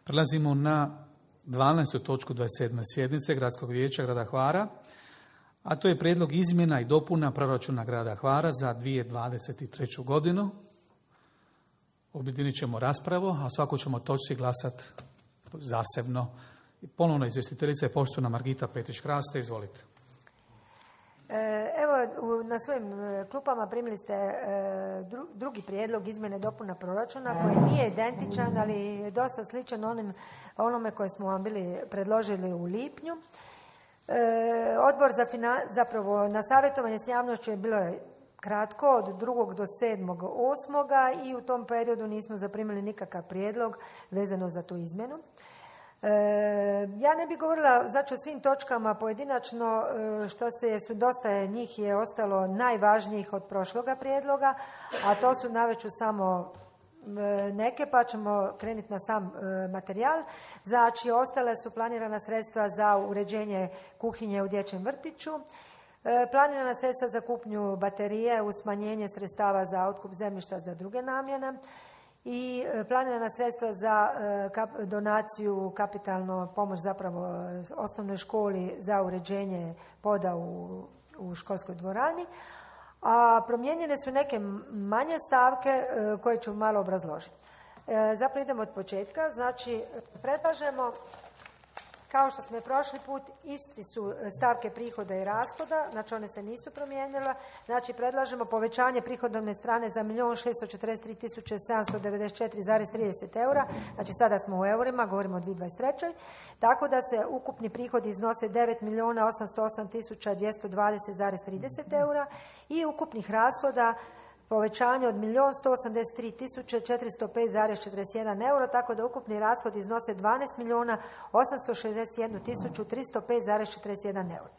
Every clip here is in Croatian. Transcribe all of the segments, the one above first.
Prelazimo na 12. točku 27. sjednice Gradskog vijeća grada Hvara, a to je prijedlog izmjena i dopuna proračuna grada Hvara za 2023. godinu. Objedinit ćemo raspravu, a svako ćemo točci glasati zasebno. Ponovno izvjestiteljica je poštovana Margita Petrić-Kraste, izvolite. Evo, na svojim klupama primili ste drugi prijedlog izmjene dopuna proračuna koji nije identičan, ali je dosta sličan onome koje smo vam bili predložili u lipnju. Odbor zapravo na savjetovanje s javnošću je bilo kratko, od 2. do 7.8. i u tom periodu nismo zaprimili nikakav prijedlog vezano za tu izmjenu. Ja ne bih govorila znači o svim točkama pojedinačno, što su dosta njih je ostalo najvažnijih od prošloga prijedloga, a to su naveču samo neke, pa ćemo krenuti na sam materijal. Znači, ostale su planirana sredstva za uređenje kuhinje u dječjem vrtiću, planirana sredstva za kupnju baterije uz smanjenje sredstava za otkup zemljišta za druge namjene i planirana sredstva za donaciju, kapitalno pomoć zapravo osnovnoj školi za uređenje poda u školskoj dvorani, a promijenjene su neke manje stavke koje ću malo obrazložiti. Zapravo idemo od početka, znači predlažemo, kao što smo i prošli put, isti su stavke prihoda i rashoda, znači one se nisu promijenile. Znači predlažemo povećanje prihodovne strane za 1.643.794,30 eura, znači sada smo u eurima, govorimo o 2023. Tako da se ukupni prihodi iznose 9.808.220,30 eura i ukupnih rashoda povećanje od 1.183.405,41 euro, tako da ukupni rashod iznose 12.861.305,41 euro.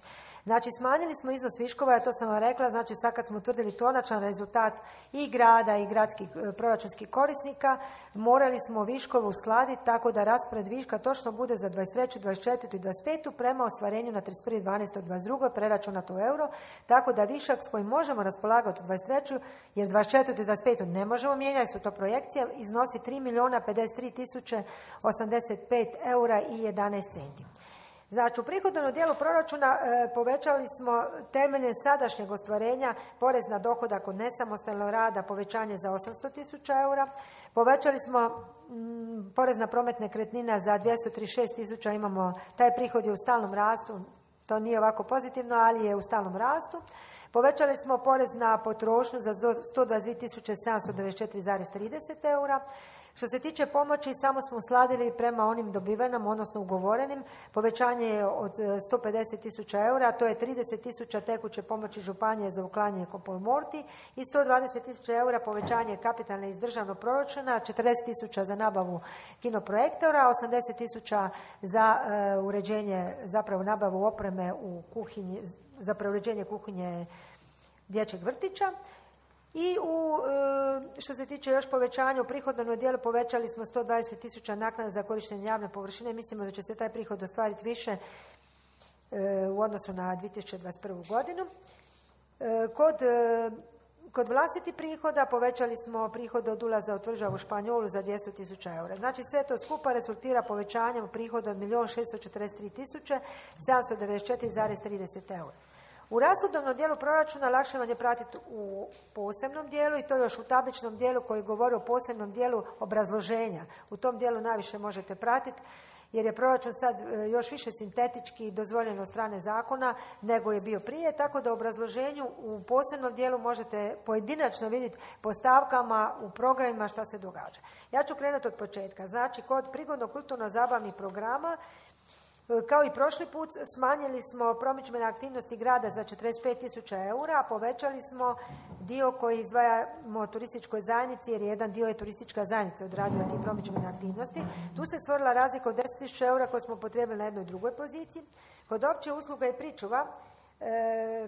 Znači, smanjili smo iznos viškova, ja to sam vam rekla, znači sad kad smo utvrdili konačan rezultat i grada i gradskih proračunskih korisnika, morali smo viškove uskladiti tako da raspored viška točno bude za 23., 24. i 25. prema ostvarenju na 31.12.22. preračunato u euro, tako da višak s kojim možemo raspolagati u 23. jer 24. i 25. ne možemo mijenjati, su to projekcije, iznosi 3.053.085 eura i 11 centi. Znači, u prihodovnom dijelu proračuna povećali smo temeljem sadašnjeg ostvarenja porez na dohodak od nesamostalnog rada, povećanje za 800.000 eura. Povećali smo porez na promet nekretnina za 236.000, imamo, taj prihod je u stalnom rastu, to nije ovako pozitivno, ali je u stalnom rastu. Povećali smo porez na potrošnju za 122.794,30 eura. Što se tiče pomoći, samo smo uskladili prema onim dobivenim, odnosno ugovorenim. Povećanje je od 150.000 eura, to je 30.000 tekuće pomoći županije za uklanjanje kompolmorti i 120.000 eura povećanje kapitalne iz državnog proračuna, 40.000 za nabavu kinoprojektora, 80.000 za uređenje, zapravo nabavu opreme u kuhinji, zapravo uređenje kuhinje dječjeg vrtića. I što se tiče još povećanja u prihodovnom dijelu, povećali smo 120.000 naknada za korištenje javne površine. Mislimo da će se taj prihod ostvariti više u odnosu na 2021. godinu. Kod vlastitih prihoda povećali smo prihode od ulaza u tvrđavu Španjolu za 200.000 eura. Znači sve to skupa rezultira povećanjem prihoda od 1.643.794,30 eura. U rashodovnom dijelu proračuna lakše vam je pratiti u posebnom dijelu i to još u tabličnom dijelu koji govori o posebnom dijelu obrazloženja. U tom dijelu najviše možete pratiti jer je proračun sad još više sintetički dozvoljen od strane zakona nego je bio prije, tako da u obrazloženju u posebnom dijelu možete pojedinačno vidjeti po stavkama u programima šta se događa. Ja ću krenuti od početka. Znači, kod prigodno-kulturno-zabavnih programa, kao i prošli put, smanjili smo promidžbene aktivnosti grada za 45.000 eura, a povećali smo dio koji izdvajamo turističkoj zajednici, jer jedan dio je turistička zajednica odradila ti promidžbene aktivnosti. Tu se stvorila razlika od 10.000 eura koje smo potrebili na jednoj drugoj poziciji. Kod opće usluga i pričuva,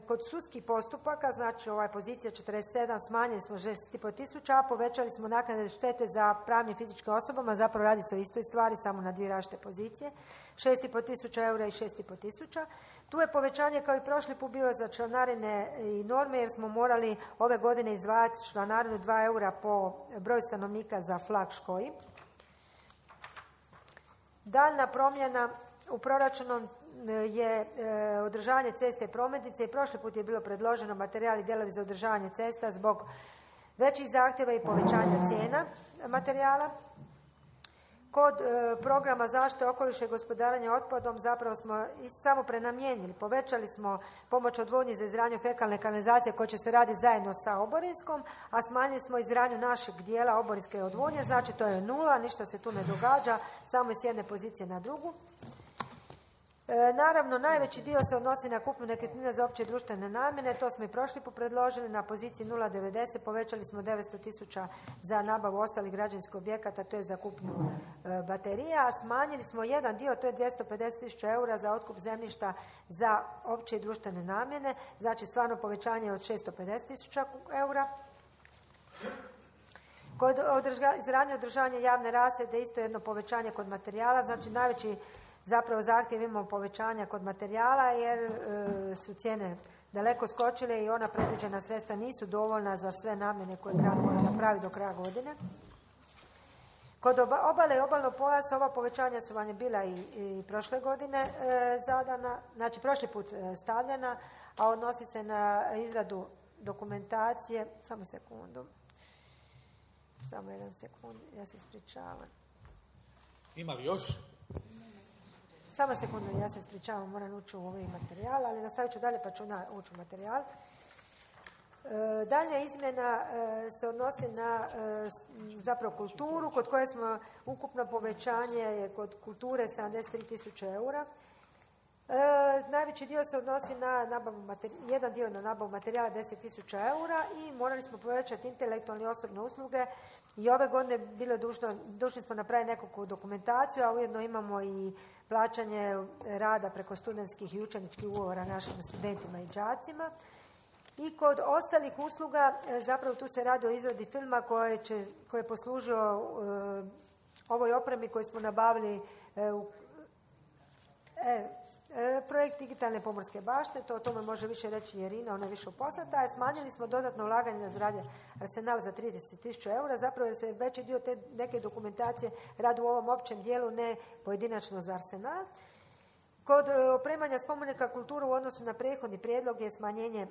kod sudskih postupaka, znači pozicija 47, smanjili smo 6.500, a povećali smo naknade štete za pravne i fizičke osobama, zapravo radi se o istoj stvari, samo na dvije različite pozicije, 6.500 eura i 6.500. Tu je povećanje kao i prošli put bio za članarine i norme, jer smo morali ove godine izdvajati članarinu 2 eura po broju stanovnika za flag škoji. Daljna promjena u proračunu je održavanje ceste i prometnice i prošli put je bilo predloženo materijal i dijelovi za održavanje cesta zbog većih zahtjeva i povećanja cijena materijala. Kod programa zaštite okoliša i gospodarenja otpadom zapravo smo samo prenamijenili. Povećali smo pomoć odvodnji za izgradnju fekalne kanalizacije koja će se raditi zajedno sa oborinskom, a smanjili smo izgradnju našeg dijela oborinske odvodnje, znači to je nula, ništa se tu ne događa, samo s jedne pozicije na drugu. Naravno, najveći dio se odnosi na kupnju nekretnina za opće društvene namjene, to smo i prošli put predložili, na poziciji 0,90 povećali smo 900.000 za nabavu ostalih građevinskih objekata, to je za kupnju baterija, a smanjili smo jedan dio, to je 250.000 eura za otkup zemljišta za opće i društvene namjene, znači stvarno povećanje od 650.000 eura. Kod izgradnje održavanja javne rasvjete isto jedno povećanje kod materijala, znači najveći zapravo zahtjev imamo povećanja kod materijala jer su cijene daleko skočile i ona predviđena sredstva nisu dovoljna za sve namjene koje grad mora napraviti do kraja godine. Kod obale i obalnog pojasa ova povećanja su vam je bila i prošle godine zadana, znači prošli put stavljena, a odnosi se na izradu dokumentacije. Samo jedan sekund, ja se ispričavam. Ima li još? Samo sekundu, ja se ispričavam, moram ući u ovaj materijal, ali nastavit ću dalje pa ću ući u materijal. Dalja izmjena se odnosi na zapravo kulturu, kod koje smo ukupno povećanje kod kulture 73.000 eura. Najveći dio se odnosi na jedan dio na nabavu materijala 10.000 eura i morali smo povećati intelektualne i osobne usluge i ove godine bilo dužni smo napraviti nekakvu dokumentaciju, a ujedno imamo i plaćanje rada preko studentskih i učeničkih ugovora našim studentima i đacima. I kod ostalih usluga, zapravo tu se radi o izradi filma koji je poslužio ovoj opremi koju smo nabavili projekt digitalne pomorske bašte, to o tome može više reći Irina, ona je više upoznata, a smanjili smo dodatno ulaganje na zgrade Arsenal za 30.000 eura, zapravo jer se veći dio te neke dokumentacije radi u ovom općem dijelu, ne pojedinačno za Arsenal. Kod opremanja spomenika kulturu u odnosu na prethodni prijedlog je smanjenje,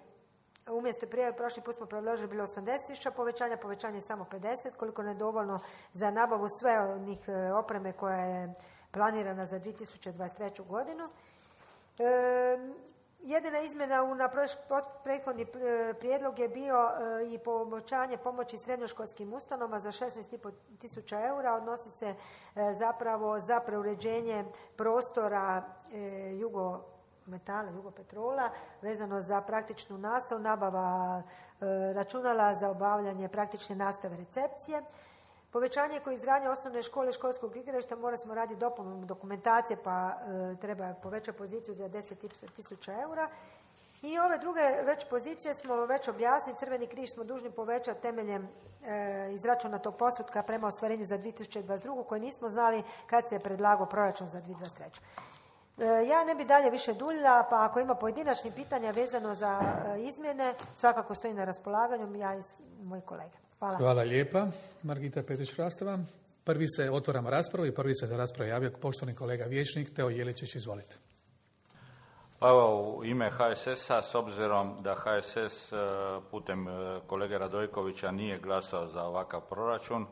umjesto prije, prošli put smo predložili bilo 80.000 povećanje je samo 50, koliko ne dovoljno za nabavu sve onih opreme koja je planirana za 2023. godinu. Jedina izmjena na prethodni prijedlog je bio i povećanje pomoći srednjoškolskim ustanovama za 16.500 eura, odnosi se zapravo za preuređenje prostora Jugopetrola, vezano za praktičnu nastavu, nabava računala za obavljanje praktične nastave recepcije. Povećanje koje izgradnje osnovne škole i školskog igrališta mora smo raditi dopunu dokumentacije pa treba povećati poziciju za 10.000 eura. I ove druge već pozicije smo već objasnili, Crveni križ smo dužni povećati temeljem izračunatog postotka prema ostvarenju za 2022. koje nismo znali kad se je predlagao proračun za 2023. Ja ne bi dalje više duljila, pa ako ima pojedinačnih pitanja vezano za izmjene, svakako stoji na raspolaganju ja i moji kolege. Hvala. Hvala lijepa, Margita Petrić-Rastava. Prvi se otvaramo raspravu i prvi se za raspravu javio poštovani kolega vijećnik Teo Jeličić, izvolite. Pa evo, u ime HSS-a, s obzirom da HSS putem kolege Radojkovića nije glasao za ovakav proračun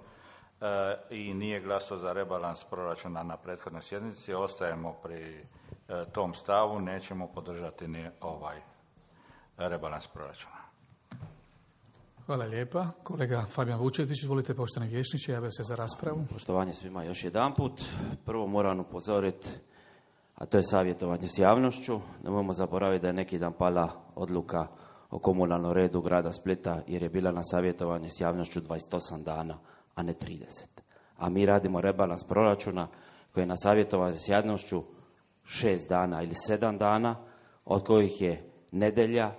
i nije glasao za rebalans proračuna na prethodnoj sjednici, ostajemo pri tom stavu, nećemo podržati ni ovaj rebalans proračuna. Hvala lijepa. Kolega Fabijan Vučetić, izvolite, poštovani vijećniče, javio se za raspravu. Poštovanje svima još jedanput. Prvo moram upozoriti, a to je savjetovanje s javnošću. Nemojmo zaboraviti da je neki dan pala odluka o komunalnom redu grada Splita, jer je bila na savjetovanje s javnošću 28 dana, a ne 30. A mi radimo rebalans proračuna koji je na savjetovanje s javnošću 6 dana ili 7 dana, od kojih je nedjelja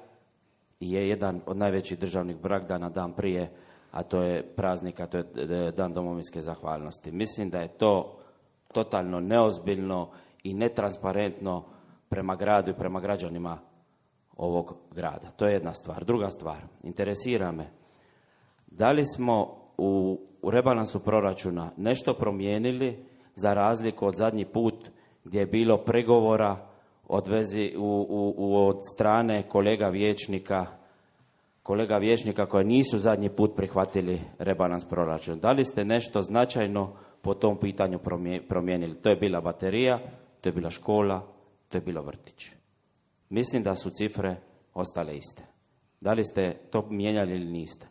i je jedan od najvećih državnih blagdana dan prije, a to je praznik, a to je Dan domovinske zahvalnosti. Mislim da je to totalno neozbiljno i netransparentno prema gradu i prema građanima ovog grada. To je jedna stvar. Druga stvar, interesira me, da li smo u rebalansu proračuna nešto promijenili za razliku od zadnji put gdje je bilo pregovora od strane kolega vijećnika koji nisu zadnji put prihvatili rebalans proračuna. Da li ste nešto značajno po tom pitanju promijenili? To je bila baterija, to je bila škola, to je bilo vrtić. Mislim da su cifre ostale iste. Da li ste to mijenjali ili niste?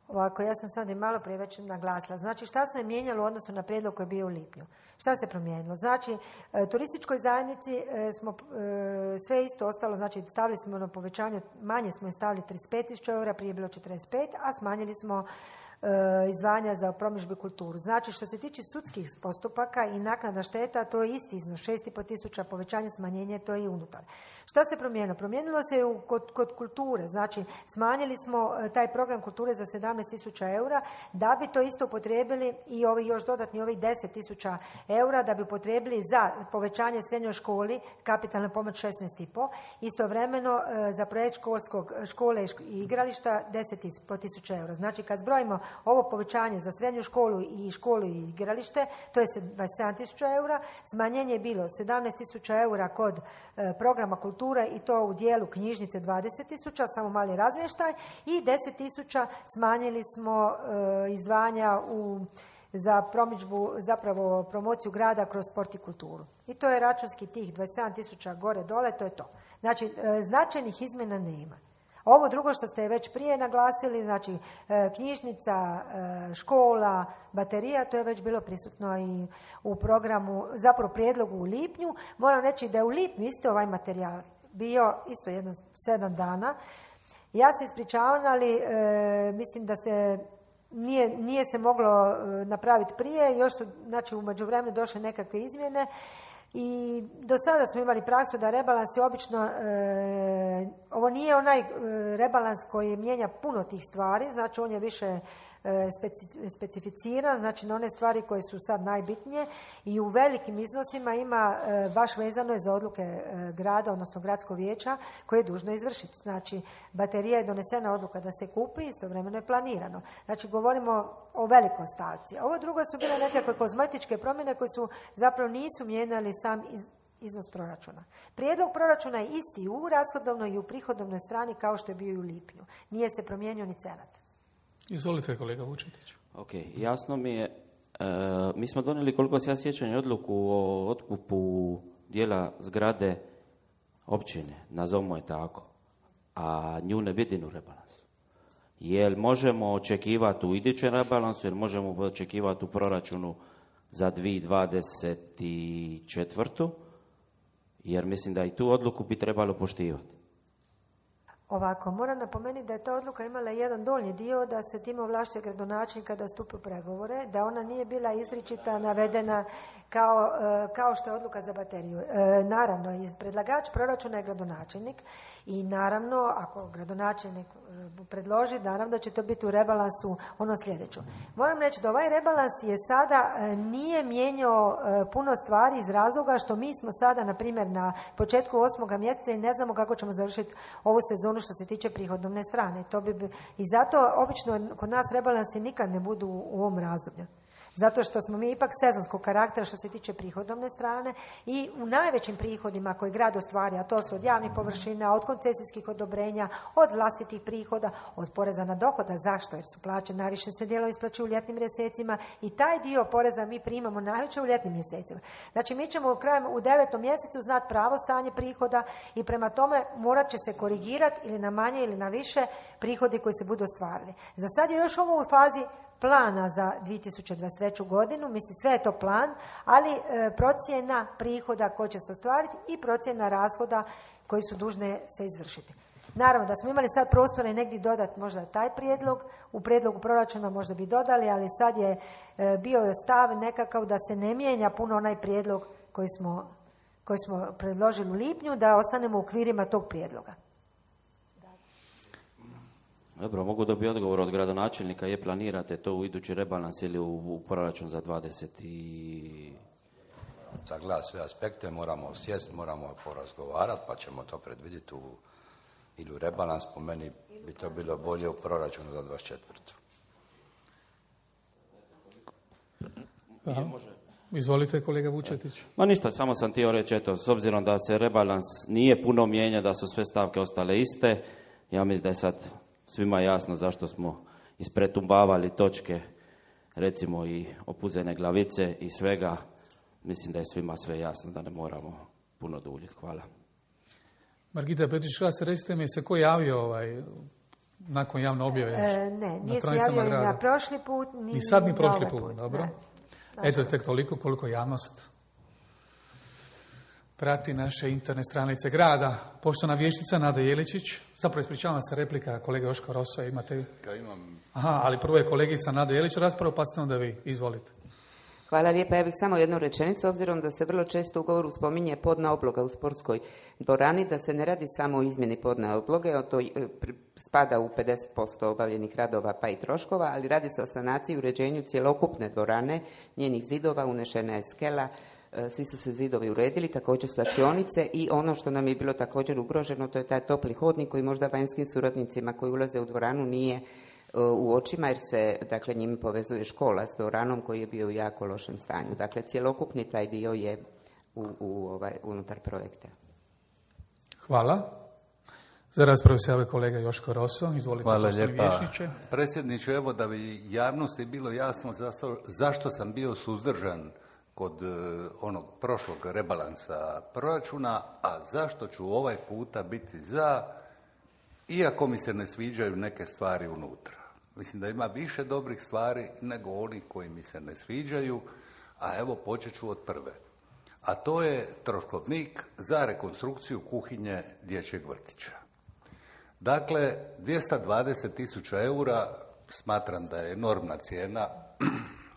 Ovako, ja sam sad i malo prije već naglasila. Znači, šta se je mijenjalo u odnosu na prijedlog koji je bio u lipnju? Šta se promijenilo? Znači, turističkoj zajednici smo sve isto ostalo, znači stavili smo na povećanje, manje smo je stavili 35.000 eura, prije je bilo 45, a smanjili smo izdvajanja za promidžbu i kulturu. Znači, što se tiče sudskih postupaka i naknada šteta, to je isti iznos, 6.500 povećanje, smanjenje, to je i unutar. Šta se promijenilo? Promijenilo se kod kulture, znači smanjili smo taj program kulture za 17.000 eura, da bi to isto upotrijebili i ovi još dodatni ovih 10.000 eura, da bi upotrijebili za povećanje srednjoj školi, kapitalna pomoć 16.500, istovremeno za projekt škole i igrališta 10.500 eura. Znači, kad zbrojimo ovo povećanje za srednju školu i igralište, to je 27.000 eura, smanjenje je bilo 17.000 eura kod programa kulture i to u dijelu knjižnice 20.000, samo mali razmještaj, i 10.000 smanjili smo izdvajanja za promidžbu, zapravo promociju grada kroz sport i kulturu. I to je računski tih 27.000 gore dole, to je to. Znači, značajnih izmjena nema. Ovo drugo što ste već prije naglasili, znači knjižnica, škola, baterija, to je već bilo prisutno i u programu, zapravo prijedlogu u lipnju. Moram reći da je u lipnju isto ovaj materijal bio isto jedno 7 dana. Ja se ispričavam, ali mislim da se nije se moglo napraviti prije, još su, znači, u međuvremenu došle nekakve izmjene. I do sada smo imali praksu da rebalans je obično, ovo nije onaj rebalans koji mijenja puno tih stvari, znači on je više specificiran, znači na one stvari koje su sad najbitnije i u velikim iznosima ima baš vezano je za odluke grada, odnosno gradskog vijeća koje je dužno izvršiti. Znači, baterija je donesena odluka da se kupi, istovremeno je planirano. Znači, govorimo o velikoj stavci. Ovo drugo su bile nekakve kozmetičke promjene koje su zapravo nisu mijenjali sam iznos proračuna. Prijedlog proračuna je isti u rashodovnoj i u prihodovnoj strani kao što je bio i u lipnju. Nije se promijenio ni cenat. Izvolite, kolega Vučetić. Ok, jasno mi je. Mi smo donijeli, koliko se ja sjećam, odluku o otkupu dijela zgrade općine, nazovimo je tako, a nju ne vidim u rebalansu. Jel možemo očekivati u idućem rebalansu, jel možemo očekivati u proračunu za 2024. Jer mislim da i tu odluku bi trebalo poštivati. Ovako, moram napomenuti da je ta odluka imala jedan donji dio da se time ovlašćuje gradonačelnika da stupi u pregovore, da ona nije bila izričita navedena kao što je odluka za bateriju. Naravno, predlagač proračuna je gradonačelnik i naravno, ako gradonačelnik predloži, naravno da će to biti u rebalansu ono sljedeće. Moram reći da ovaj rebalans je sada nije mijenjao puno stvari iz razloga što mi smo sada, na primjer, na početku 8. mjeseca i ne znamo kako ćemo završiti ovu sezonu što se tiče prihodovne strane. I zato obično kod nas rebalansi nikad ne budu u ovom razdoblju. Zato što smo mi ipak sezonskog karaktera što se tiče prihodovne strane i u najvećim prihodima koje grad ostvari, a to su od javnih površina, od koncesijskih odobrenja, od vlastitih prihoda, od poreza na dohodak. Zašto? Jer su plaće najviše se dijelom isplaćuju u ljetnim mjesecima i taj dio poreza mi primamo najveće u ljetnim mjesecima. Znači, mi ćemo u 9. mjesecu znati pravo stanje prihoda i prema tome morat će se korigirati ili na manje ili na više prihodi koji se budu ostvarili. Za sad je još ovo u fazi plana za 2023. godinu, mislim sve je to plan, ali procjena prihoda koji će se ostvariti i procjena rashoda koji su dužne se izvršiti. Naravno da smo imali sad prostora i negdje dodati možda taj prijedlog, u prijedlogu proračuna možda bi dodali, ali sad je bio stav nekakav da se ne mijenja puno onaj prijedlog koji smo predložili u lipnju, da ostanemo u okvirima tog prijedloga. Dobro, mogu dobiti odgovor od gradonačelnika, je planirate to u idući rebalans ili u proračun za 20 Sagledati sve aspekte, moramo sjesti, moramo porazgovarati, pa ćemo to predvidjeti ili u rebalans, po meni bi to bilo bolje u proračunu za 24. Izvolite, kolega Vučetić. Ma ništa, samo sam htio reći, eto, s obzirom da se rebalans nije puno mijenja, da su sve stavke ostale iste, ja mislim da je sad svima jasno zašto smo ispretumbavali točke, recimo i opuzene glavice i svega. Mislim da je svima sve jasno, da ne moramo puno duljiti. Hvala. Margita Petrić-Klas, recite mi se ko javio nakon javne objave? Ne, nije se javio ni na prošli put, ni sad ni prošli put. put. Dobro. Ne. Eto, tek toliko koliko javnost prati naše interne stranice grada. Poštovana vijećnica Nada Jeličić, zapravo ispričavam se, replika kolega Joško Rosa, imate? Ja imam. Aha, ali prvo je kolegica Nada Jelić raspravo, pa ste onda vi. Izvolite. Hvala lijepa. Ja bih samo jednu rečenicu, obzirom da se vrlo često u govoru spominje podna obloga u sportskoj dvorani, da se ne radi samo o izmjeni podne obloge, to spada u 50% obavljenih radova pa i troškova, ali radi se o sanaciji i uređenju cjelokupne dvorane, njenih zidova, unešena je skela, svi su se zidovi uredili, također svlačionice i ono što nam je bilo također ugroženo, to je taj topli hodnik koji možda vanjskim suradnicima koji ulaze u dvoranu nije u očima, jer se, dakle, njime povezuje škola s dvoranom koji je bio u jako lošem stanju. Dakle, cjelokupni taj dio je unutar projekta. Hvala. Za raspravu se javio kolega Joško Roso. Izvolite. Hvala lijepa. Vijećniče. Predsjedniče, evo da bi javnosti bilo jasno zašto sam bio suzdržan kod onog prošlog rebalansa proračuna, a zašto ću ovaj puta biti za, iako mi se ne sviđaju neke stvari unutra. Mislim da ima više dobrih stvari nego onih koji mi se ne sviđaju, a evo počet ću od prve. A to je troškovnik za rekonstrukciju kuhinje dječjeg vrtića. Dakle, 220.000 eura smatram da je enormna cijena.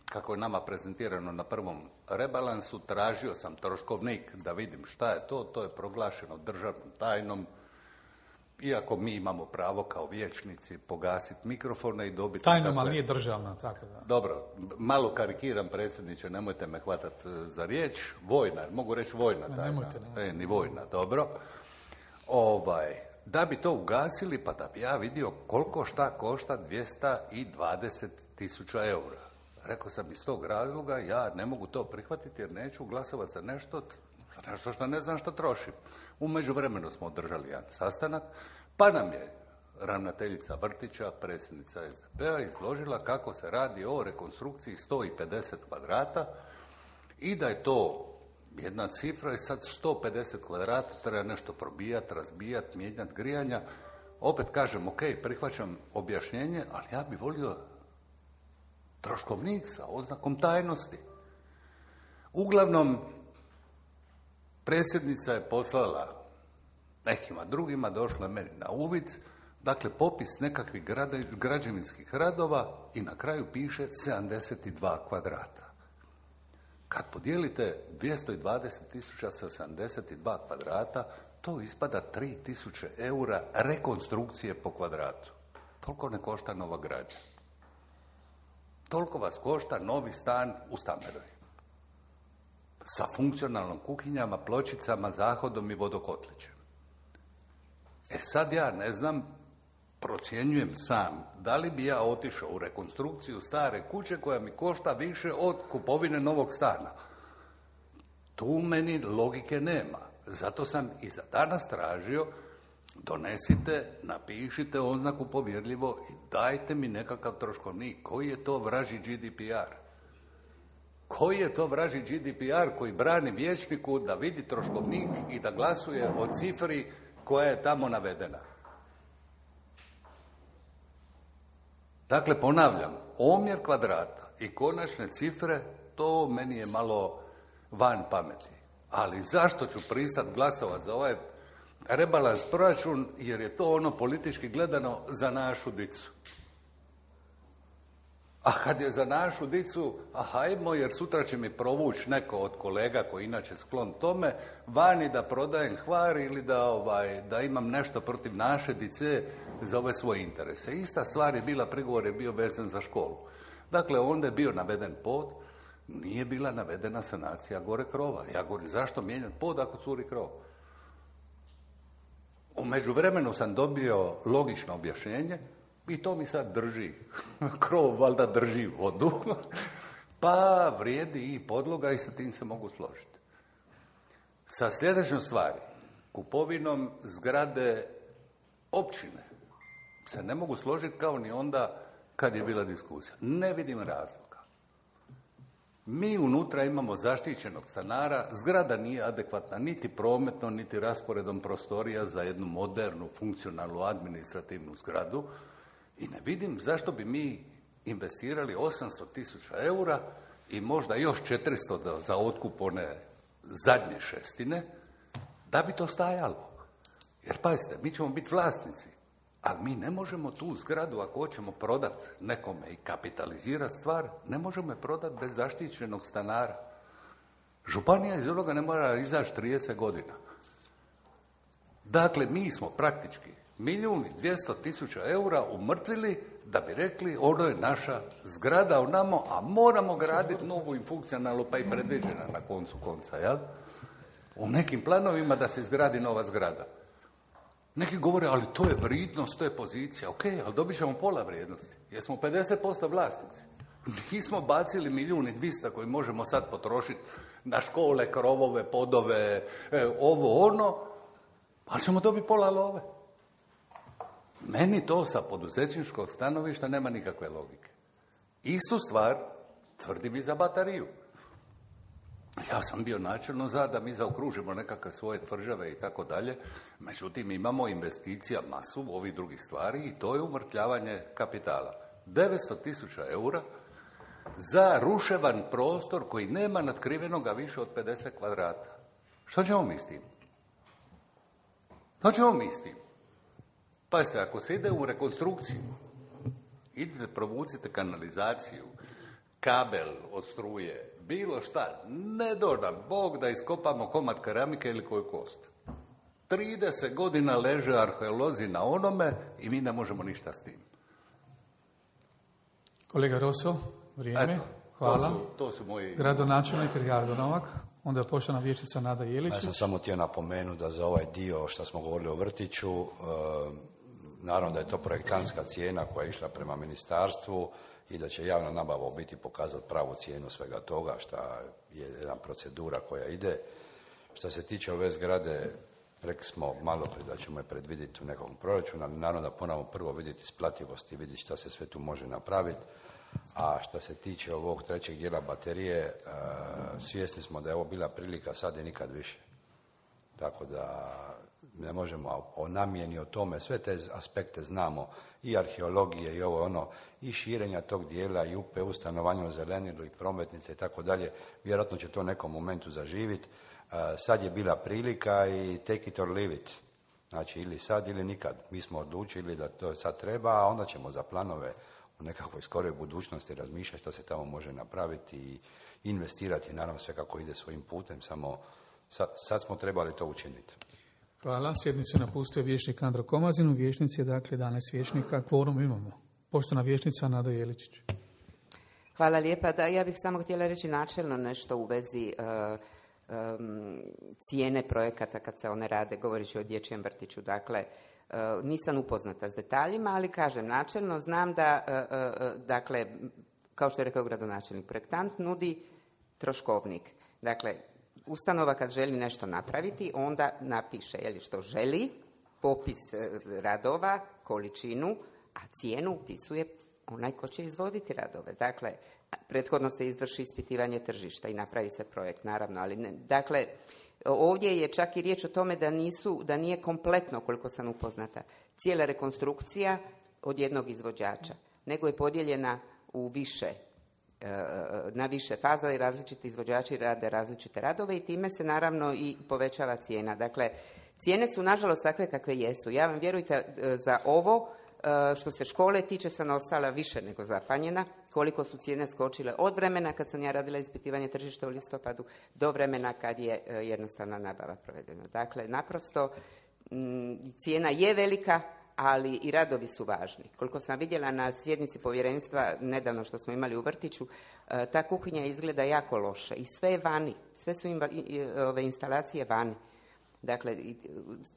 Kako je nama prezentirano na prvom rebalansu, tražio sam troškovnik da vidim šta je to je proglašeno državnom tajnom, iako mi imamo pravo kao vijećnici pogasiti mikrofone i dobiti... Tajnom, ali nije državna, tako da. Dobro, malo karikiram, predsjedniče, nemojte me hvatati za riječ. Vojna, mogu reći vojna tajna. Nemojte. Ni vojna, dobro. Da bi to ugasili, pa da bi ja vidio koliko šta košta 220.000 eura. Rekao sam iz tog razloga, ja ne mogu to prihvatiti jer neću glasovati za nešto što ne znam što trošim. U međuvremenu smo održali jedan sastanak, pa nam je ravnateljica vrtića, predsjednica SDP-a, izložila kako se radi o rekonstrukciji 150 kvadrata i da je to jedna cifra i sad 150 kvadrata treba nešto probijati, razbijati, mijenjati grijanja. Opet kažem, ok, prihvaćam objašnjenje, ali ja bih volio troškovnik sa oznakom tajnosti. Uglavnom, predsjednica je poslala nekima drugima, došla meni na uvid, dakle popis nekakvih građevinskih radova i na kraju piše 72 kvadrata. Kad podijelite 220.000 sa 72 kvadrata, to ispada 3.000 eura rekonstrukcije po kvadratu. Toliko ne košta nova građa. Toliko vas košta novi stan u Stameroj. Sa funkcionalnom kuhinjama, pločicama, zahodom i vodokotlićem. Sad ja ne znam, procjenjujem sam, da li bi ja otišao u rekonstrukciju stare kuće koja mi košta više od kupovine novog stana. Tu meni logike nema. Zato sam i za danas tražio, donesite, napišite oznaku povjerljivo i dajte mi nekakav troškovnik. Koji je to vražji GDPR? Koji je to vražji GDPR koji brani vijećniku da vidi troškovnik i da glasuje o cifri koja je tamo navedena? Dakle, ponavljam, omjer kvadrata i konačne cifre, to meni je malo van pameti. Ali zašto ću pristati glasovati za ovaj rebalans proračun? Jer je to ono politički gledano za našu dicu. A kad je za našu dicu, hajmo, jer sutra će mi provući neko od kolega koji inače sklon tome, vani da prodajem Hvar ili da imam nešto protiv naše dice za ove svoje interese. Ista stvar je bila, prigovor je bio vezan za školu. Dakle, onda je bio naveden pod, nije bila navedena sanacija gore krova. Ja govorim, zašto mijenjati pod ako curi krov? U međuvremenu sam dobio logično objašnjenje i to mi sad drži. Krov valjda drži vodu. Pa vrijedi i podloga i sa tim se mogu složiti. Sa sljedećom stvari, kupovinom zgrade općine se ne mogu složiti kao ni onda kad je bila diskusija. Ne vidim razloga. Mi unutra imamo zaštićenog stanara, zgrada nije adekvatna niti prometno, niti rasporedom prostorija za jednu modernu, funkcionalnu, administrativnu zgradu i ne vidim zašto bi mi investirali 800.000 eura i možda još 400 za otkup one zadnje šestine, da bi to stajalo. Jer pazite, mi ćemo biti vlasnici, ali mi ne možemo tu zgradu, ako hoćemo prodati nekome i kapitalizirati stvar, ne možemo je prodati bez zaštićenog stanara. Županija iz onoga ne mora izaći 30 godina. Dakle, mi smo praktički 1.200.000 eura umrtvili da bi rekli ono je naša zgrada u namo, a moramo graditi novu i funkcionalnu, pa i predviđena na koncu konca, jel? U nekim planovima da se izgradi nova zgrada. Neki govore, ali to je vrijednost, to je pozicija. Ok, ali dobit ćemo pola vrijednosti. Jer smo 50% vlasnici. Nismo bacili 1.200.000 koji možemo sad potrošiti na škole, krovove, podove, ovo, ono, ali ćemo dobiti pola love. Meni to sa poduzetničkog stanovišta nema nikakve logike. Istu stvar tvrdim i za bateriju. Ja sam bio načelno za da mi zaokružimo nekakve svoje tvrđave i tako dalje, međutim imamo investicija masu ovih drugih stvari i to je umrtljavanje kapitala. 900.000 eura za ruševan prostor koji nema natkrivenoga više od 50 kvadrata. Što ćemo mi s tim? Što ćemo mi s tim? Pazite, ako se ide u rekonstrukciju, idete, provucite kanalizaciju, kabel od struje, bilo šta, ne doda Bog da iskopamo komad keramike ili koju kost. 30 godina leže arheolozi na onome i mi ne možemo ništa s tim. Kolega Roso, vrijeme. Eto, hvala. To su moji... Gradonačelnik Ricardo Novak, onda je poštovana vijećnica Nada Jeličić. Ja sam samo htio napomenuti da za ovaj dio što smo govorili o vrtiću, naravno da je to projektantska cijena koja je išla prema ministarstvu i da će javna nabava u biti pokazati pravu cijenu svega toga, što je jedna procedura koja ide. Što se tiče ove zgrade, rekli smo malo prije da ćemo je predvidjeti u nekom proračunu, ali naravno da moramo prvo vidjeti isplativost i vidjeti šta se sve tu može napraviti. A što se tiče ovog trećeg dijela baterije, svjesni smo da je ovo bila prilika sad i nikad više. Tako da ne možemo o namjeni, o tome, sve te aspekte znamo, i arheologije i ovo ono, i širenja tog dijela, i UPU, stanovanje u zelenilu, i prometnice i tako dalje. Vjerojatno će to u nekom momentu zaživiti. Sad je bila prilika i take it or leave it. Znači, ili sad ili nikad. Mi smo odlučili da to sad treba, a onda ćemo za planove u nekakvoj skoroj budućnosti razmišljati što se tamo može napraviti i investirati, naravno sve kako ide svojim putem, samo sad smo trebali to učiniti. Hvala. Sjednicu napustio vijećnik Andro Komazin, u vijećnici je dakle 11 vijećnika, kvorum imamo. Poštovana vijećnica Nada Jeličić. Hvala lijepa. Da, ja bih samo htjela reći načelno nešto u vezi cijene projekata kad se one rade, govoreći o dječjem vrtiću. Dakle, nisam upoznata s detaljima, ali kažem načelno, znam da, dakle, kao što je rekao gradonačelnik, projektant nudi troškovnik. Dakle, ustanova kad želi nešto napraviti, onda napiše što želi, popis radova, količinu, a cijenu upisuje onaj ko će izvoditi radove. Dakle, prethodno se izvrši ispitivanje tržišta i napravi se projekt, naravno, ali ne. Dakle, ovdje je čak i riječ o tome da nije kompletno, koliko sam upoznata, cijela rekonstrukcija od jednog izvođača, nego je podijeljena u na više faza i različiti izvođači rade različite radove i time se naravno i povećava cijena. Dakle, cijene su nažalost takve kakve jesu. Ja vam vjerujte za ovo što se škole tiče sam ostala više nego zapanjena koliko su cijene skočile od vremena kad sam ja radila ispitivanje tržišta u listopadu do vremena kad je jednostavna nabava provedena. Dakle, naprosto cijena je velika, ali i radovi su važni. Koliko sam vidjela na sjednici povjerenstva nedavno što smo imali u vrtiću, ta kuhinja izgleda jako loše i sve je vani, sve su instalacije vani. Dakle,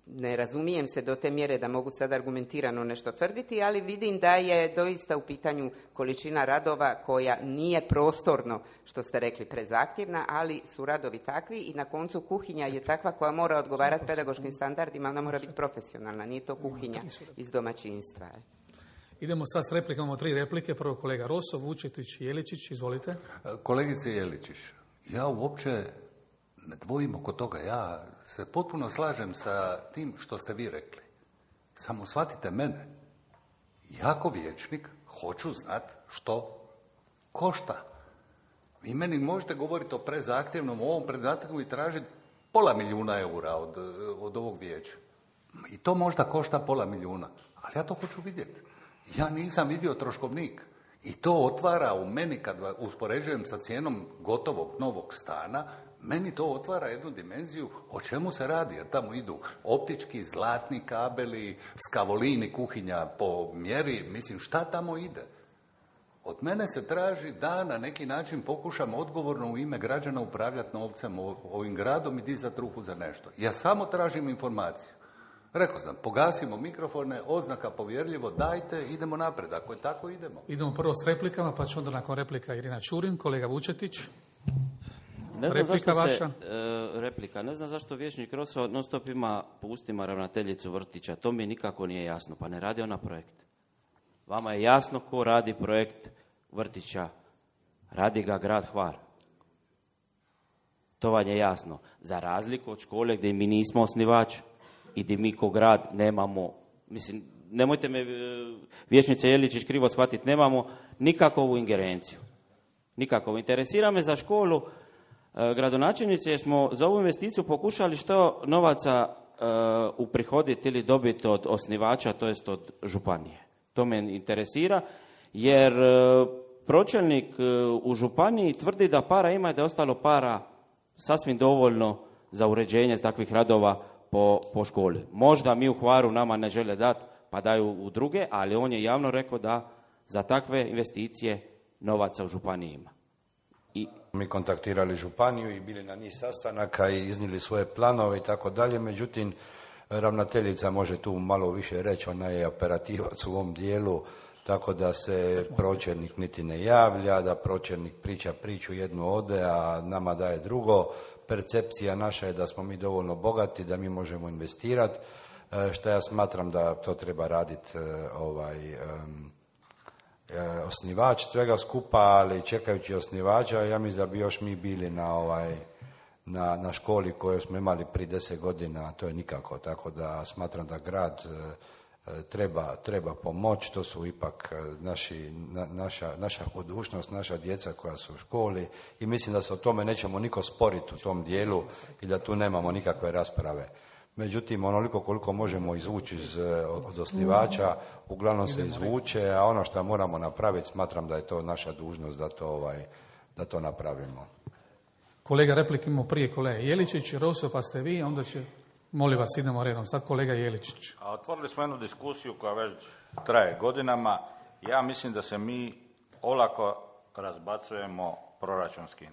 ne razumijem se do te mjere da mogu sad argumentirano nešto tvrditi, ali vidim da je doista u pitanju količina radova koja nije prostorno, što ste rekli, prezahtjevna, ali su radovi takvi i na koncu kuhinja je takva koja mora odgovarati pedagoškim standardima, ona mora biti profesionalna, nije to kuhinja iz domaćinstva. Idemo sad s replikama, imamo 3 replike. Prvo kolega Roso, Vučetić i Jeličić, izvolite. Kolegice Jeličić, ja uopće ne dvojim oko toga, ja se potpuno slažem sa tim što ste vi rekli. Samo shvatite mene. Ja ko vijećnik hoću znati što košta. Vi meni možete govoriti o prezahtjevnom, ovom prezahtjevnom i tražiti $500 000 od ovog vijeća. I to možda košta $500 000, ali ja to hoću vidjeti. Ja nisam vidio troškovnik. I to otvara u meni, kad uspoređujem sa cijenom gotovog novog stana, meni to otvara jednu dimenziju o čemu se radi, jer tamo idu optički, zlatni kabeli, skavolini, kuhinja po mjeri, mislim šta tamo ide? Od mene se traži da na neki način pokušam odgovorno u ime građana upravljati novcem ovim gradom i dizati ruku za nešto. Ja samo tražim informaciju. Rekao sam, pogasimo mikrofone, oznaka povjerljivo, dajte, idemo napred. Ako je tako, idemo. Idemo prvo s replikama, pa će onda nakon replika Irina Čurin, kolega Vučetić. Ne znam Replika vaša. Replika. Ne znam zašto vijećnik Roso non stop ima po ustima ravnateljicu vrtića. To mi nikako nije jasno. Pa ne radi ona projekt. Vama je jasno ko radi projekt vrtića. Radi ga grad Hvar. To vam je jasno. Za razliku od škole gdje mi nismo osnivač i gdje mi ko grad nemamo, mislim, nemojte me vijećnice Jeličić krivo shvatiti, nemamo nikakvu ingerenciju. Nikako. Interesira me za školu gradonačelnici, jer smo za ovu investiciju pokušali što novaca uprihoditi ili dobiti od osnivača, to jest od županije. To me interesira, jer pročelnik u županiji tvrdi da para ima i da je ostalo para sasvim dovoljno za uređenje takvih radova po školi. Možda mi u Hvaru nama ne žele dati, pa daju u druge, ali on je javno rekao da za takve investicije novaca u županiji ima. Mi kontaktirali županiju i bili na niz sastanaka i iznijeli svoje planove i tako dalje, međutim ravnateljica može tu malo više reći, ona je operativac u ovom dijelu, tako da se pročelnik niti ne javlja, da pročelnik priča priču, jednu ode, a nama daje drugo. Percepcija naša je da smo mi dovoljno bogati, da mi možemo investirati, što ja smatram da to treba raditi osnivač svega skupa, ali čekajući osnivača, ja mislim da bi još mi bili na školi koju smo imali prije 10 godina, a to je nikako, tako da smatram da grad treba pomoći, to su ipak naša budućnost, naša djeca koja su u školi i mislim da se o tome nećemo niko sporiti u tom dijelu i da tu nemamo nikakve rasprave. Međutim, onoliko koliko možemo izvući od osnivača, uglavnom se izvuče, a ono što moramo napraviti, smatram da je to naša dužnost da to napravimo. Kolega, replike imamo prije kolega Jeličić, Roso, pa ste vi, onda će, molim vas, idemo redom. Sad kolega Jeličić. A otvorili smo jednu diskusiju koja već traje godinama. Ja mislim da se mi olako razbacujemo proračunskim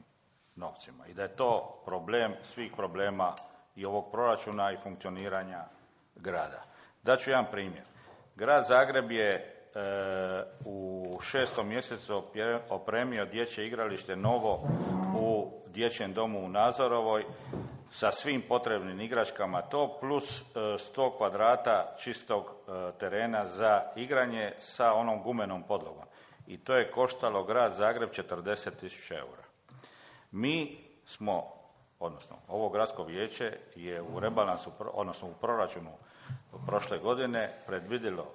novcima i da je to problem svih problema i ovog proračuna i funkcioniranja grada. Daću jedan primjer. Grad Zagreb je u 6. mjesecu opremio dječje igralište novo u dječjem domu u Nazorovoj sa svim potrebnim igračkama, to plus 100 kvadrata čistog terena za igranje sa onom gumenom podlogom. I to je koštalo grad Zagreb 40.000 eura. Mi smo, odnosno ovo gradsko vijeće je u rebalansu, odnosno u proračunu prošle godine predvidjelo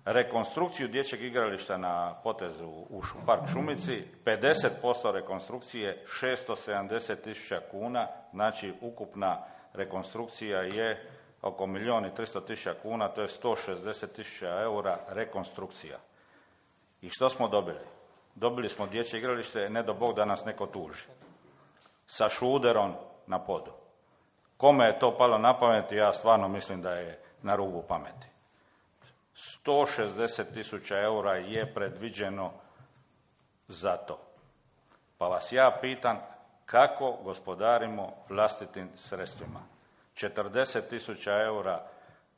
rekonstrukciju dječjeg igrališta na potezu u Park Šumici, 50% rekonstrukcije 670.000 kuna, znači ukupna rekonstrukcija je oko 1.300.000 kuna, to je 160.000 eura rekonstrukcija. I što smo dobili? Dobili smo dječje igralište, ne do Bog da nas neko tuži, sa šuderom na podu. Kome je to palo na pamet, ja stvarno mislim da je na rubu pameti. 160.000 eura je predviđeno za to. Pa vas ja pitam kako gospodarimo vlastitim sredstvima. 40.000 eura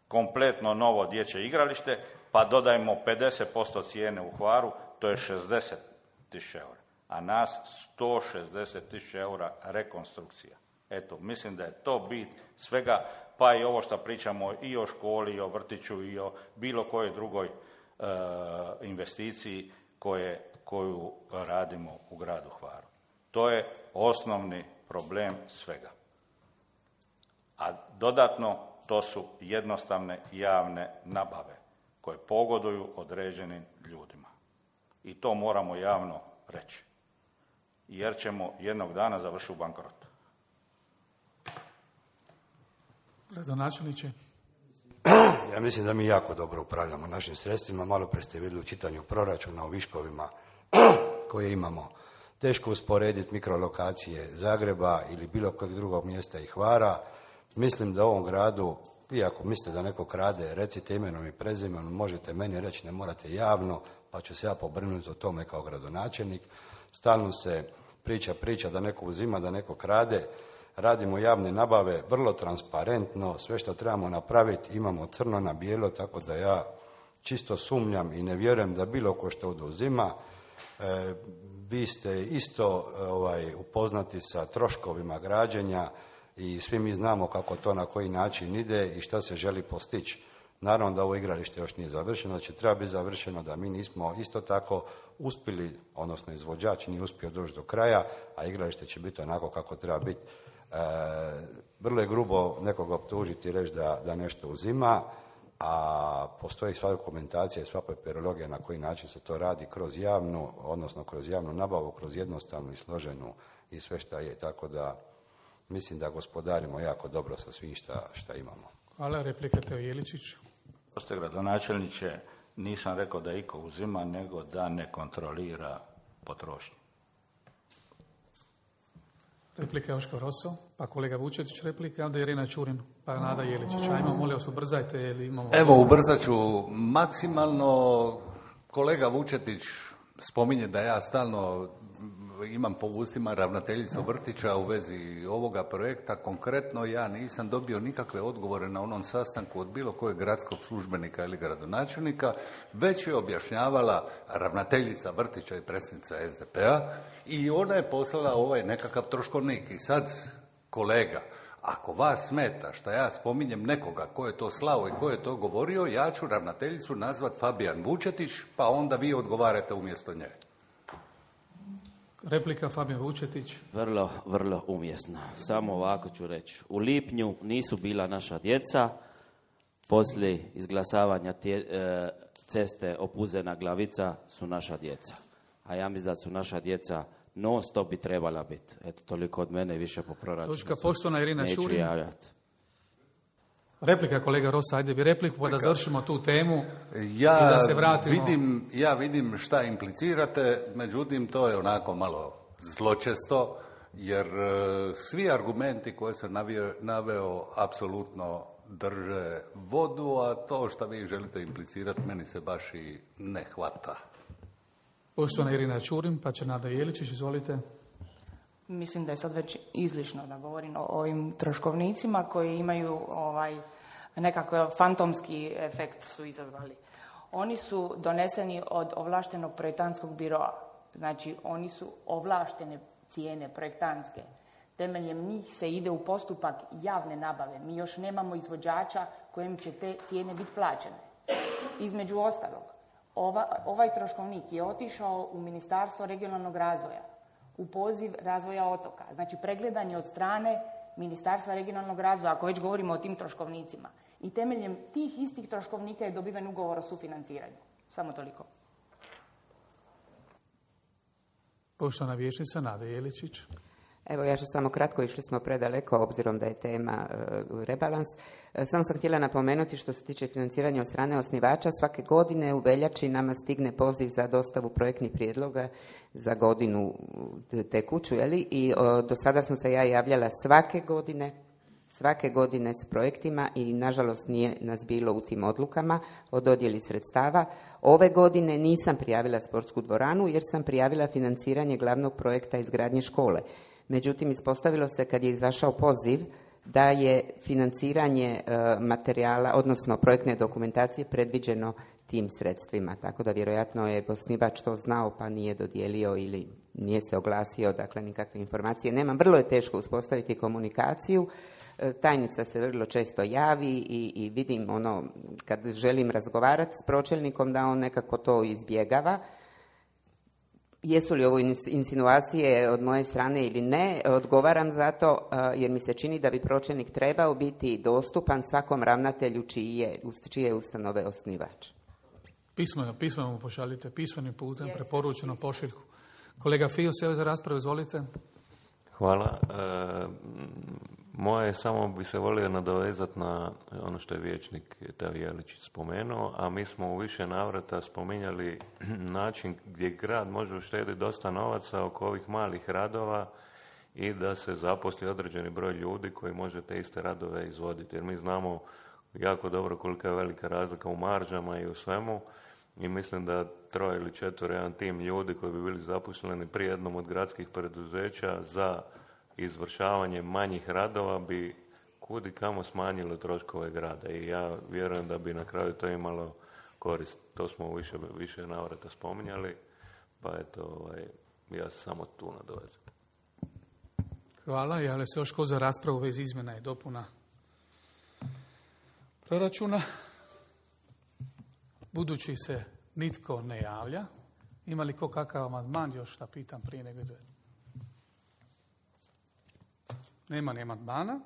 kompletno novo dječje igralište, pa dodajmo 50% cijene u Hvaru, to je 60.000 eura. A nas 160.000 eura rekonstrukcija. Eto, mislim da je to bit svega, pa i ovo što pričamo i o školi, i o vrtiću, i o bilo kojoj drugoj investiciji koju radimo u gradu Hvaru. To je osnovni problem svega. A dodatno, to su jednostavne javne nabave koje pogoduju određenim ljudima. I to moramo javno reći. Jer ćemo jednog dana završiti u bankrotu. Gradonačelniče. Ja mislim da mi jako dobro upravljamo našim sredstvima. Malo prije ste vidjeli u čitanju proračuna o viškovima koje imamo. Teško usporediti mikrolokacije Zagreba ili bilo kojeg drugog mjesta i Hvara. Mislim da u ovom gradu, vi ako mislite da neko krade, recite imenom i prezimenom, možete meni reći, ne morate javno, pa ću se ja pobrinuti o tome kao gradonačelnik. Stalno se priča da neko uzima, da neko krade. Radimo javne nabave vrlo transparentno, sve što trebamo napraviti imamo crno na bijelo, tako da ja čisto sumnjam i ne vjerujem da bilo ko što oduzima. Vi ste isto upoznati sa troškovima građenja i svi mi znamo kako to na koji način ide i šta se želi postići. Naravno da ovo igralište još nije završeno, da će treba biti završeno, da mi nismo isto tako uspjeli, odnosno izvođač nije uspio doći do kraja, a igralište će biti onako kako treba biti. Vrlo je grubo nekoga optužiti i reći da nešto uzima, a postoji sva dokumentacija i sva papirologija na koji način se to radi kroz javnu, odnosno kroz javnu nabavu, kroz jednostavnu i složenu i sve šta je. Tako da mislim da gospodarimo jako dobro sa svim šta imamo. Hvala, replika Teo Jeličić. Postoje gradonačelniče, nisam rekao da iko uzima, nego da ne kontrolira potrošnju. Replika Joško Roso, pa kolega Vučetić replika, onda Irina Čurin, pa Nada Jeličić. Ajmo, molim vas, ubrzajte ili imamo... Evo, ubrzat ću maksimalno. Kolega Vučetić spominje da ja stalno imam po ustima ravnateljicu vrtića u vezi ovoga projekta. Konkretno ja nisam dobio nikakve odgovore na onom sastanku od bilo kojeg gradskog službenika ili gradonačelnika, već je objašnjavala ravnateljica vrtića i predsjednica SDP-a i ona je poslala ovaj nekakav troškovnik. I sad, kolega, ako vas smeta što ja spominjem nekoga ko je to slao i ko je to govorio, ja ću ravnateljicu nazvat Fabijan Vučetić, pa onda vi odgovarate umjesto nje. Replika Fabijan Vučetić. Vrlo umjesno. Samo ovako ću reći. U lipnju nisu bila naša djeca, poslije izglasavanja ceste Opuzena Glavica su naša djeca. A ja mislim da su naša djeca non stop bi trebala biti. Eto, toliko od mene, više po proračunu. Točka, poštovana Irina Čurin. Čurin. Neću javljati. Replika kolega Rosa, ajde bi repliku pa da završimo tu temu ja i da se vratimo. Vidim šta implicirate, međutim to je onako malo zločesto, jer svi argumenti koje sam naveo apsolutno drže vodu, a to što vi želite implicirati meni se baš i ne hvata. Poštovana Irina Čurin, pa će Nada Jeličić, izvolite. Mislim da je sad već izlišno da govorim o ovim troškovnicima koji imaju nekakav fantomski efekt su izazvali. Oni su doneseni od ovlaštenog projektantskog biroa. Znači, oni su ovlaštene cijene projektantske. Temeljem njih se ide u postupak javne nabave. Mi još nemamo izvođača kojem će te cijene biti plaćene. Između ostalog, ovaj troškovnik je otišao u Ministarstvo regionalnog razvoja u poziv razvoja otoka. Znači, pregledan je od strane Ministarstva regionalnog razvoja, ako već govorimo o tim troškovnicima. I temeljem tih istih troškovnika je dobiven ugovor o sufinanciranju. Samo toliko. Poštovana vijećnica Nada Jeličić. Evo, ja ću samo kratko, išli smo predaleko, obzirom da je tema rebalans. Samo sam htjela napomenuti što se tiče financiranja od strane osnivača. Svake godine u veljači nama stigne poziv za dostavu projektnih prijedloga za godinu tekuću, i do sada sam se ja javljala svake godine s projektima i nažalost nije nas bilo u tim odlukama o dodjeli sredstava. Ove godine nisam prijavila sportsku dvoranu jer sam prijavila financiranje glavnog projekta izgradnje škole. Međutim, ispostavilo se kad je izašao poziv da je financiranje materijala, odnosno projektne dokumentacije predviđeno tim sredstvima. Tako da vjerojatno je osnivač to znao pa nije dodijelio ili nije se oglasio, dakle nikakve informacije. Nemam, vrlo je teško uspostaviti komunikaciju. Tajnica se vrlo često javi i vidim kad želim razgovarati s pročelnikom da on nekako to izbjegava. Jesu li ovo insinuacije od moje strane ili ne, odgovaram za to jer mi se čini da bi pročelnik trebao biti dostupan svakom ravnatelju čije ustanove osnivač. Pismeno mu pošaljite, pismenim putem, preporučeno pošiljku. Kolega Fio, se za raspravu, izvolite. Hvala. Moje samo bi se volio nadovezati na ono što je vijećnik Teo Jeličić spomenuo, a mi smo u više navrata spominjali način gdje grad može uštediti dosta novaca oko ovih malih radova i da se zaposli određeni broj ljudi koji može te iste radove izvoditi. Jer mi znamo jako dobro kolika je velika razlika u maržama i u svemu i mislim da 3 ili 4 jedan tim ljudi koji bi bili zaposleni pri jednom od gradskih preduzeća za izvršavanje manjih radova bi kudi kamo smanjilo troškove grada i ja vjerujem da bi na kraju to imalo korist. To smo više navrata spominjali, pa eto, ja se samo tu nadovezam. Hvala. Javlja se još ko za raspravu vez izmjena i dopuna proračuna. Budući se nitko ne javlja, ima li ko kakav amandman, još da pitam prije nego ide? Nema ni amandmana.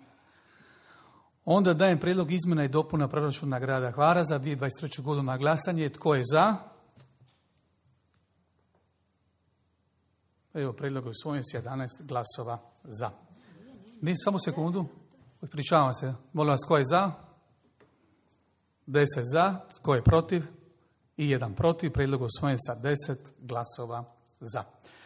Onda dajem prijedlog izmjena i dopuna proračuna grada Hvara za 2023. godinu na glasanje. Tko je za? Evo, prijedlog je usvojen s 11 glasova za. Samo sekundu. Ispričavam se. Molim vas, tko je za? 10 za. Tko je protiv? I 1 protiv. Prijedlog je usvojen sa 10 glasova za.